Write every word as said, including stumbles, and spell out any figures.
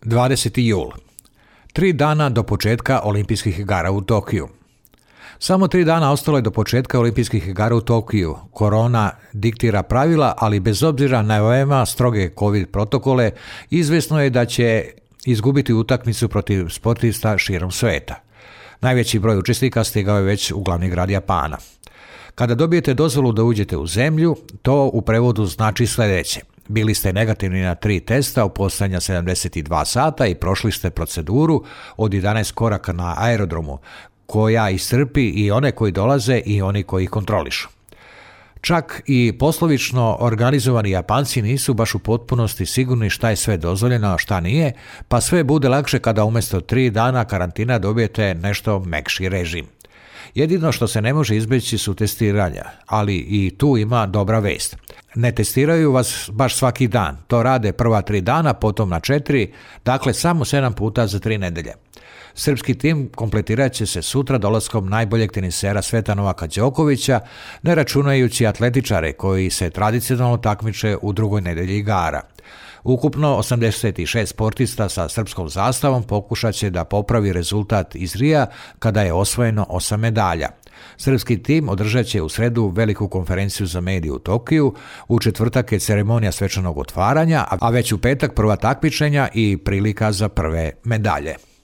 dvadeseti jul. Tri dana do početka olimpijskih igara u Tokiju. Samo tri dana ostalo je do početka olimpijskih igara u Tokiju. Korona diktira pravila, ali bez obzira na veoma stroge COVID protokole, izvesno je da će izgubiti utakmicu protiv sportista širom sveta. Najveći broj učesnika stigao je već u glavni grad Japana. Kada dobijete dozvolu da uđete u zemlju, to u prevodu znači sljedeće. Bili ste negativni na tri testa u posljednja sedamdeset dva sata i prošli ste proceduru od jedanaest koraka na aerodromu, koja iscrpi i one koji dolaze i oni koji ih kontrolišu. Čak i poslovično organizovani Japanci nisu baš u potpunosti sigurni šta je sve dozvoljeno, a šta nije, pa sve bude lakše kada umjesto tri dana karantina dobijete nešto mekši režim. Jedino što se ne može izbjeći su testiranja, ali i tu ima dobra vest. Ne testiraju vas baš svaki dan, to rade prva tri dana, potom na četiri, dakle samo sedam puta za tri nedelje. Srpski tim kompletirat će se sutra dolaskom najboljeg tenisera sveta Novaka Đokovića, ne računajući atletičare koji se tradicionalno takmiče u drugoj nedelji igara. Ukupno osamdeset šest sportista sa srpskom zastavom pokušat će da popravi rezultat iz Rija kada je osvojeno osam medalja. Srpski tim održat će u sredu veliku konferenciju za medije u Tokiju, u četvrtak je ceremonija svečanog otvaranja, a već u petak prva takmičenja i prilika za prve medalje.